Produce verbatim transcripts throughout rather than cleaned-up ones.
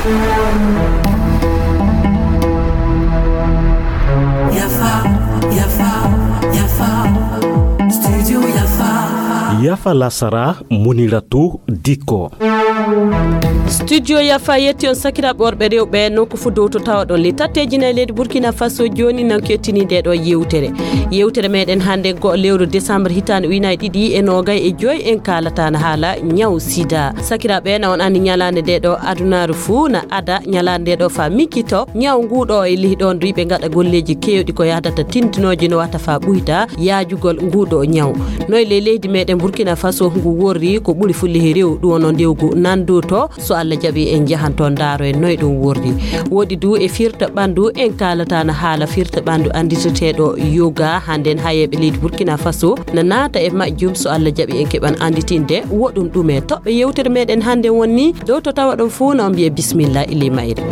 Yafa, yafa, yafa. Studio yafa. Yafa lasara, Muniratu Diko. Studio yafa yetti on sakiraaɓe worɓe rewɓe nokku fuu dow to tawaɗon. Litatteeji nayi leydi Burkina Faso jooni nan kettini nde ɗo yewtere. Yewtere meɗen hannde go lewru décembre hitaande ujunaaji ɗiɗi e noogay e joy en kaalata na haala ñaw sida. Sakiraaɓe na on anndi ñalaande nde ɗo adunaaru fuu na ada ñalaande nde ɗo fa mikkito ñaw ngu ɗo e lihi ɗon du yiɓe ngaɗa golleeji keewɗi ko yahdata tindinooji no watta fa ɓuyta yaajugol ngu ɗo ñaw. No e ley leydi meɗen Burkina Faso ngu worri ko ɓuri fuu lihi rew ɗum wono ndewgu nandu to so Allah jaɓi en njahan to ndaaro en noy ɗum worri. Woɗi du e firta ɓandu en kaalata na haala firta ɓandu annditeteeɗo yoga hannden hayeeɓe leydi Burkina Faso na naata e majjum so Allah jaɓi en keɓan annditinde woɗum ɗum e toɓɓe yewtere meɗen hannde wonni dow to tawa ɗon fuu na on mbiye bismillah ili mayre.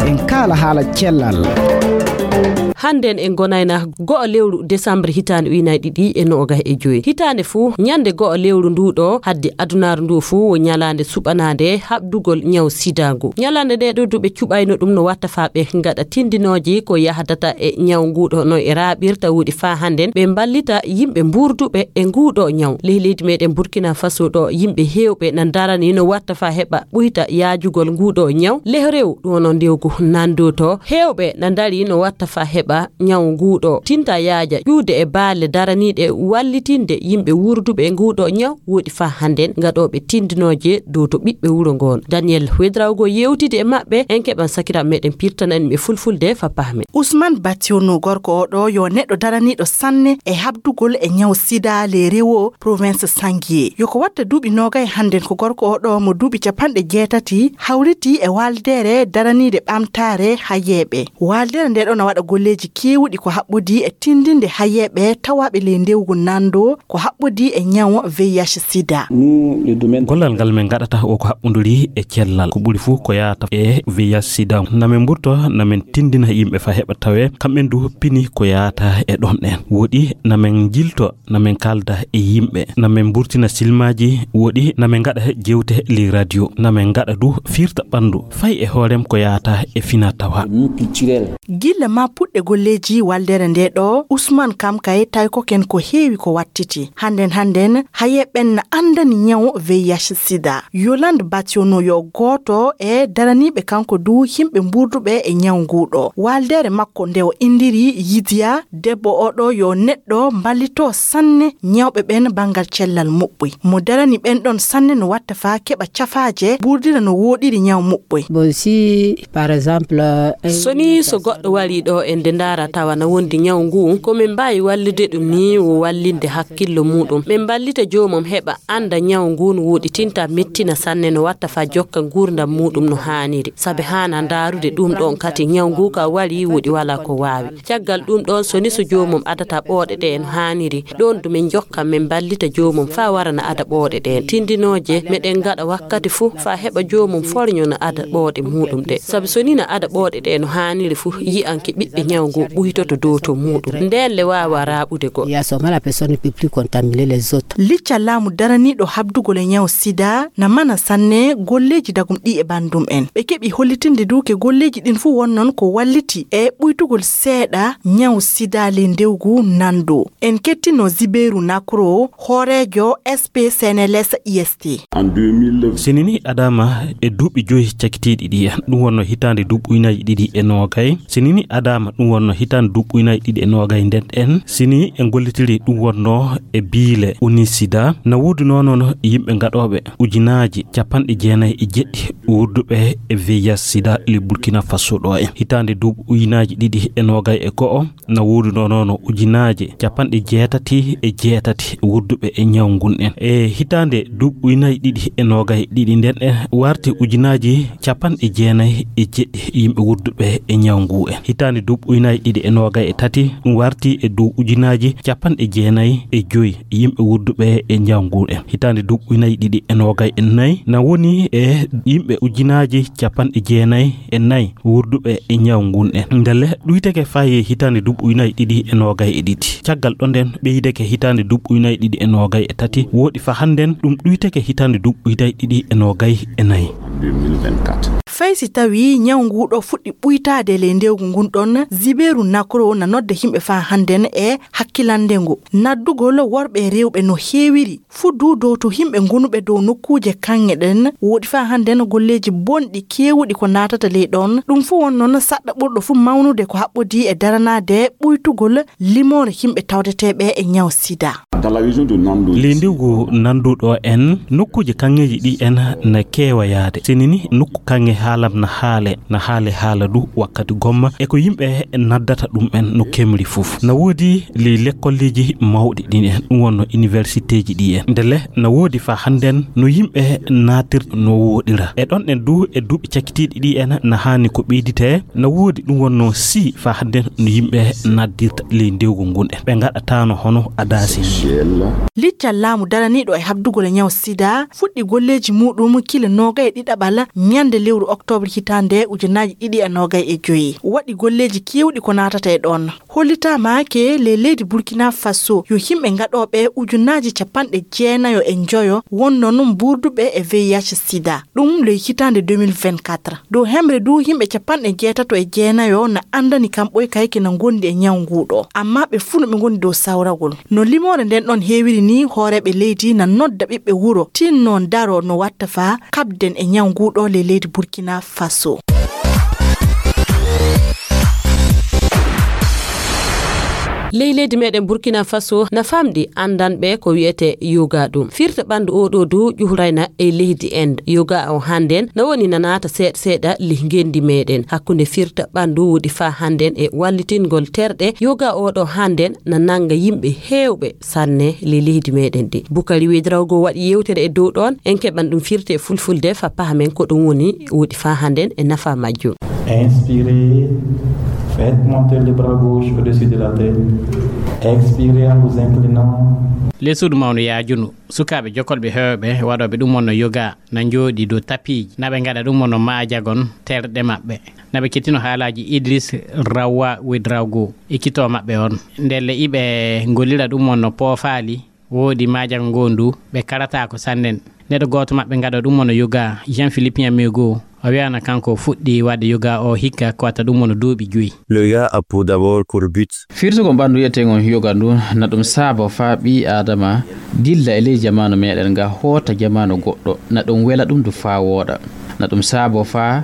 En kaala haala cellal. Hannden en gonayna go'o lewru décembre hitaande ujunaaji ɗiɗi e noogay e joy. Hitaande fuu, ñande go'o lewru ndu ɗo, haddi adunaaru ndu fuu wo ñalaande suɓanaande haɓdugol ñaw sida ngu. Ñalaande nde ɗo duɓe cuɓayno ɗum no watta fa ɓe ngaɗa tindinooji ko yahdata e ñaw ngu ɗo no e raaɓirta wuɗi fa hannden ɓe mballita yimɓe mbuurduɓe e ngu ɗo ñaw. Ley leydi meɗen Burkina Faso ɗo yimɓe heewɓe na darani no watta fa heɓa ɓuyta yaajugol ngu ɗo ñaw. Leh rew ɗum wono ndewgu nandu to heewɓe na dari no watta fa heɓa ñaw ngu ɗo tinta yaaja ƴuude e baalle daraniiɗe wallitinde yimɓe wurduɓe e ngu ɗo ñaw woɗi fa hannden ngaɗooɓe tindinooje dow to ɓiɓɓe wuro ngon. Daniel Wedrawgo yewtidi e maɓɓe en keɓan sakiraaɓe meɗen pirtanani ɓe fulfulde fa pahme. Ousmane Bationo gorko o ɗo yo neɗɗo daraniiɗo sanne e habdugol e ñaw sida le rewo province Sangiye. Yo ko watta duuɓi noogay hannden ko gorko o ɗo mo duuɓi capanɗe jeetati hawriti e waaldeere daraniide ɓamtaare hayeeɓe. Waaldeere nde ɗo na waɗa golleeji keewuɗi ko haɓɓodi e tindinde hayeeɓe tawaaɓe ley ndewgu nando ko haɓɓodi e ñaw V I H sida. Gollal ngal min ngaɗata o ko haɓɓodiri e cellal. Ko ɓuri fuu ko yaata e V I H sida. Na min mburto, na min tindina yimɓe fa heɓa tawe, kamɓen du pini ko yaata e ɗon ɗen. Woɗi na min jilto na min kaalda e yimɓe, na min mburtina silmaaji, woɗi na min ngaɗa jeewte ley radio, na min ngaɗa du firta ɓanndu, fay e hoorem ko yaata e fina tawa. Gilla ma puɗɗe golleeji waldere nde ɗo, Usman kam kay tawi ko ken ko heewi ko wattiti. Hannden hannden, haye ɓen na anndani ñaw V I H sida. Yolande Bationo yo gooto e daraniiɓe kanko du yimɓe mburduɓe e ñaw ngu ɗo. Waldere makko nde o indiri Yidiya, debbo o ɗo yo neɗɗo mballito sanne ñawɓe ɓen banngal cellal muɓɓuy. Mo darani ɓen ɗon sanne no watta faa keɓa cafaaje, ɓurdira no wooɗiri ñaw muɓɓuy. Bon, si, par exemple, euh, un So ni so goɗɗo wari ɗo e nde ndaara tawa na wondi ñaw ngu, ko min mbaawi wallude ɗum ni wo wallinde hakkillo muɗum. Min mballita joomum heɓa annda ñaw ngu no woɗi tinta mettina sanne no watta faa jokka nguurndam muɗum no haaniri. Sabe haana ndaarude ɗum ɗon kati ñaw ngu ka wari woɗi walaa ko waawi. Caggal ɗum ɗon so ni so joomum adata ɓooɗe ɗe no haaniri. Ɗon du min jokka min mballita joomum faa warana ada ɓooɗe ɗen. Tindinooje meɗen ngaɗa wakkati fuu faa heɓa joomum forño no ada ɓooɗe muɗum ɗe. Sabi so ni no ada ɓooɗe ɗe no haaniri fuu, yi'anke ɓiɓɓe ñaw ngu ɓuytoto dow to muɗum. Nden le waawa raaɓude goɗɗo. Il y a seulement la personne ne peut plus contaminer les autres. Licca laamu daraniiɗo habdugol e ñaw sida na mana sanne golleeji dagum ɗi e banndum en. Ɓe keɓi hollitinde du ke golleeji ɗin fuu wonnon ko walliti e ɓuytugol seeɗa ñaw sida ley ndewgu nando. En kettino Zibeyru Nakro, hooreejo S P C N L S I S T. Sinini adama e duuɓi joyi cakitiiɗi ɗi en. Ɗum wonno hitaande duuɓi ujunaaji ɗiɗi e noogay. Sinini adama ɗum wonno hitaande duuɓi ujunaaji ɗiɗi e noogay nden en. Sini en gollitiri ɗum wonno e biile unisida. Na woodi noon yimɓe gaɗooɓe ujunaaji capanɗe jeenayi e jeɗɗi wurduɓe e V I H sida le Burkina Faso ɗo en. Hitaande duuɓi ujunaaji ɗiɗi e noogay e go'o, na woodunoo noon ujunaaje capanɗe jeetati e jeetati wurduɓe e ñaw ngun en. E hitaande duuɓi ujunaaji ɗiɗi e noogay e ɗiɗi nden en warti ujunaaji capanɗe jeenayi e jeɗɗi yimɓe wurduɓe e ñaw ngu en. Hitaande duuɓi Nayi ɗiɗi e noogay e tati, ɗum warti e dow ujunaaji capanɗe jeenayi e joyi yimɓe wurduɓe e ñaw ngun en. Hitaande duuɓi nayi ɗiɗi e noogay e nayi, na woni e yimɓe ujunaaji capanɗe jeenayi e nayi wurduɓe e ñaw ngun en. Ndelle ɗuyteke faayi hitaande duuɓi nayi ɗiɗi e noogay e ɗiɗi. Caggal ɗon nden ɓeydeke hitaande duuɓi nayi ɗiɗi e noogay e tati, woɗi fa hannden ɗum ɗuyteke hitaande duuɓi nayi ɗiɗi e noogay e nayi. Fay si tawii ñaw nguu ɗoo fuɗɗi ɓuytaade e ley ndewgu ngun ɗon, Zibéru Nakro na nodda yimɓe faa hannden e hakkilannde ngo. Naddugol worɓe e rewɓe no heewiri, fuu duu dow to yimɓe ngonuɓe dow nokkuuje kaŋŋe ɗen, woɗi faa hannden golleeji bonɗi keewuɗi ko naatata ley ɗon. Ɗum fuu won non saɗɗa ɓurɗo fuu mawnude ko haɓɓodii e daranaade ɓuytugol limoore yimɓe tawdeteeɓe e ñaw sida. Ley ndewgu nannduɗo en, nokkuuje kaŋŋeeji ɗi en na keewa yaade. Sini ni nokku kaŋŋe haalam na haale, na haale haala du wakkati gomma. E ko yimɓe naddata ɗum en no kemri fof. Na woodi ley lekkolleeji mawɗi ɗin en, ɗum wonno universitéeji ɗi en. Ndelle na woodi fa hannden no yimɓe naatirta no wooɗira. E ɗon en du e duuɓi cakkitiiɗi ɗi en na haani ko ɓeyditee. Na woodi ɗum wonno si fa hannden no yimɓe naddirta ley ndewgu ngun en. Ɓe ngaɗataano hono adaasi ni. Liccal laamu daraniiɗo e habdugol e ñaw sida fuɗɗi golleeji muuɗum kile noogay e ɗiɗaɓal ñande lewru oktoobre hitaande ujunaaji ɗiɗi e noogay e joyi. Waɗi golleeji keewɗi ko naatata e ɗon. Hollitaama ke ley leydi Burkina Faso yo yimɓe ngaɗooɓe ujunaaji capanɗe jeenayo e njoyo wonno non mbuurduɓe e V I H sida. Ɗum ley hitaande deux mille vingt-quatre. Dow hemre du yimɓe capanɗe jeetato e jeenayo na anndani kam ɓoy kayke na ngondi e ñaw nguu ɗoo. Amma ɓe fuu no ɓe ngondi dow sawrawol. No limoore nden ɗon heewiri ni, hooreeɓe leydi na nodda ɓiɓɓe wuro tinno ndaro no watta faa kaɓden e ñaw nguu ɗoo ley leydi Burkina Faso. Ley leydi meɗen Burkina Faso na famɗi anndanɓe ko wi'ete yoga ɗum. Firta ɓanndu oo ɗoo du ƴuhrayna e leydi Inde. Yoga o hannden na woni na naata seeɗa seeɗa ley ngenndi meɗen. Hakkunde firta ɓanndu woɗi faa hannden e wallitingol terɗe, yoga oo ɗoo hannden na nannga yimɓe heewɓe sanne ley leydi meɗen ndi. Bukari Wedrawgo waɗi yewtere e dow ɗon, en keɓan ɗum firti e fulfulde fa pahamen ko ɗum woni woɗi faa hannden e nafa majjum. Inspirez, faites monter le bras gauche au-dessus de la tête. Expirez en vous inclinant. Ley suudu mawnu yaajunu, sukaaɓe jokolɓe heewɓe waɗooɓe ɗum wonno yoga na njooɗi dow tapiiji, na ɓe ngaɗa ɗum wonno maajagon terɗe maɓɓe. Na ɓe kettino haalaaji Idris Rawa Wedrawgo, ekkitoo maɓɓe on. Ndelle iɓe ngollira ɗum wonno poofaali, woodi maajago ngondu, ɓe karataako sannen. Neɗɗo gooto maɓɓe ngaɗa ɗum wonno yoga, Jean-Philippe Nyamego, o wi'ana kanko o fuɗɗi waɗde yoga o hikka ko watta ɗum wonno duuɓi joyi. Le yoga a pour d'abord pour but. Firtugol ɓanndu wi'eteengon yoga ndu, na ɗum saabo faa ɓii Aadama dilla e ley jamaanu meɗen nga hoota jamaanu goɗɗo, na ɗum wela ɗum du faa wooɗa. Na ɗum saabo faa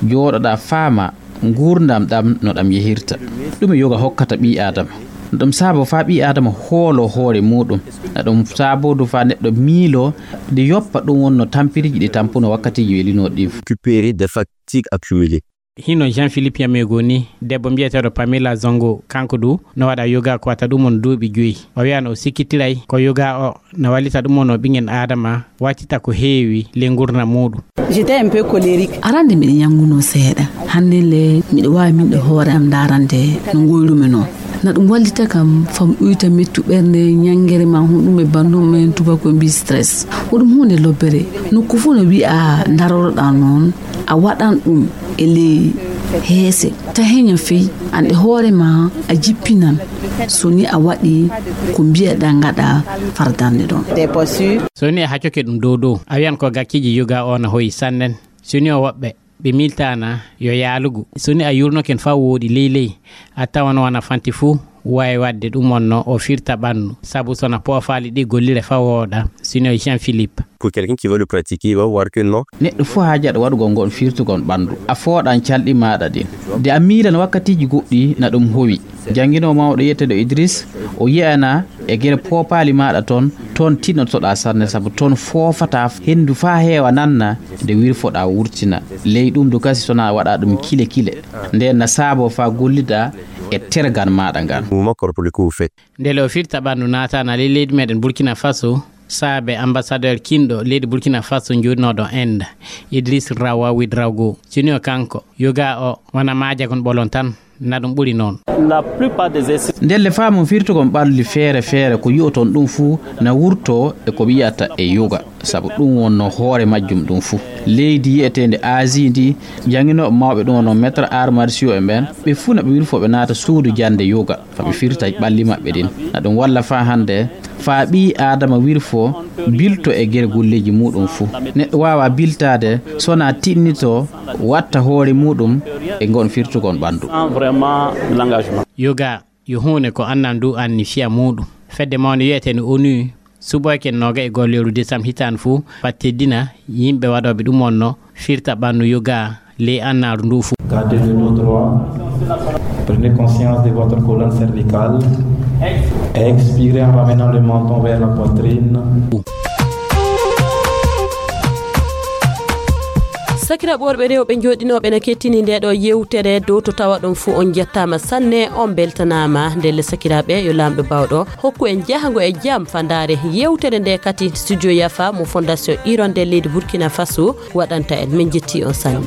jooɗoɗaa faama nguurndam ɗam no ɗam yehirta. Ɗum e yoga hokkata ɓii Aadama. Na ɗum saabo faa ɓii Aadama hoolo hoore muuɗum. Na ɗum saabo du faa neɗɗo miilo de yoppa ɗum wonno tampiriji ɗi tampuno wakkatiiji welinooɗi ɗin. Récupérer des fatigues accumulées. Hino Jean-Philippe Yamego ni, debbo mbiyeteeɗo Pamela Zongo, kanko du no waɗa yoga ko wata ɗum on duuɓi joyi. O wi'ano o sikkitiray ko yoga o na wallita ɗum on o ɓingen Aadama wattita ko heewi ley ngurndan muuɗum. J'étais un peu colérique. Arande miɗo ñanngunoo seeɗa. Hannde le miɗo waawi miɗo hoore am ndaarande no ngoyrumi non. Na ɗum wallita kam fam ɗuyta mettu ɓernde, ñanngere ma honɗum e banndum en tubako mbi stress. Ko ɗum huunde lobbere. Nokku fof no wi'a ndaroroɗaa noon, a waɗan ɗum e ley heese. Ta heña fey, an e hoore ma a jippinan. So ni a waɗi ko mbiyaɗaa ngaɗa fardande ɗon. So ni a haccoke ɗum dow dow, a wiyan ko gakkiiji yoga o na hoyi sannen. So ni o woɓɓe ɓe miltaana yo yaalugu. So ni a yurnoken faa wooɗi ley ley, a tawan wona fanti fuu waawi waɗde ɗum on no o firta ɓanndu. Sabu so na poofaali ɗi gollire faa wooɗa, so ni o Jean Philippe. Pour quelqu'un qui veut le pratiquer, il va voir que non. Neɗɗo fof haajaɗo waɗugol ngon firtugol ɓanndu. A fooɗan calɗi maaɗa ɗin. De a miilan wakkatiiji goɗɗi na ɗum howi. Jannginoowo mawɗo wiyeteeɗo Idris, o yi'ana e gere poopaali maaɗa ton, ton tinnotoɗaa sanne sabu ton foofataa henndu faa heewa nanna nde wirfoɗaa wurtina. Ley ɗum du kasi so na waɗaa ɗum kile kile. Nden na saaboo faa gollidaa e tergal maaɗa ngal. Mouvement corporel que vous faites. Ndele o firta ɓanndu naataana ley leydi meɗen Burkina Faso, saabe ambassadeur kinɗo leydi Burkina Faso njoɗinooɗo Inde, Idriss Rawa Ouedraogo. Sinno kanko, yoga o wona maajagon ɓolon tan. Na ɗum ɓuri noon. Ndelle faamu firtugol ɓalli feere feere ko yi'oton ɗum fuu na wurtoo e ko ɓe yi'ata e yoga, sabu ɗum wonnoo hoore majjum ɗum fuu. Leydi yi'eteende Asie ndi, jannginooɓe mawɓe ɗum wonnoo maître arts martiaux en ɓeen, ɓe fuu na ɓe wirfoo ɓe naata suudu jannde yoga, fa ɓe firta ɓalli maɓɓe ɗin. Na ɗum walla faa hannde, faa ɓii Aadama wirfoo, bilto e gere gulleeji muuɗum fuu. Neɗɗo waawaa biltaade so wonaa tiɗnitoo, watta hoore muuɗum e ngon firtugol ɓanndu. Yoga yo huunde ko annal ndu anni fiya muuɗum. Fedde mawnde wi'eteende onu suɓoyke nooga e goho lewru desam hitaande fuu, faa teddina yimɓe waɗooɓe ɗum wonnoo firta ɓanndu yoga ley annaaru ndu fuu. Gardez de nos droits. Prenez conscience de votre colonne cervicale. Expirez en ramenant le menton vers la poitrine. Sakiraaɓe worɓe rewɓe jooɗinooɓe na kettini nde ɗo yewtere dow to tawa ɗon fuu on jettaama sanne, on beltanaama. Ndelle sakiraaɓe, yo Laamɗo baawɗo hokku en jahango e jam faa ndaare yewtere nde kadi. Studio Yafa mo Fondation Hirondelle leydi Burkina Faso waɗanta en. Min jetti on sanne.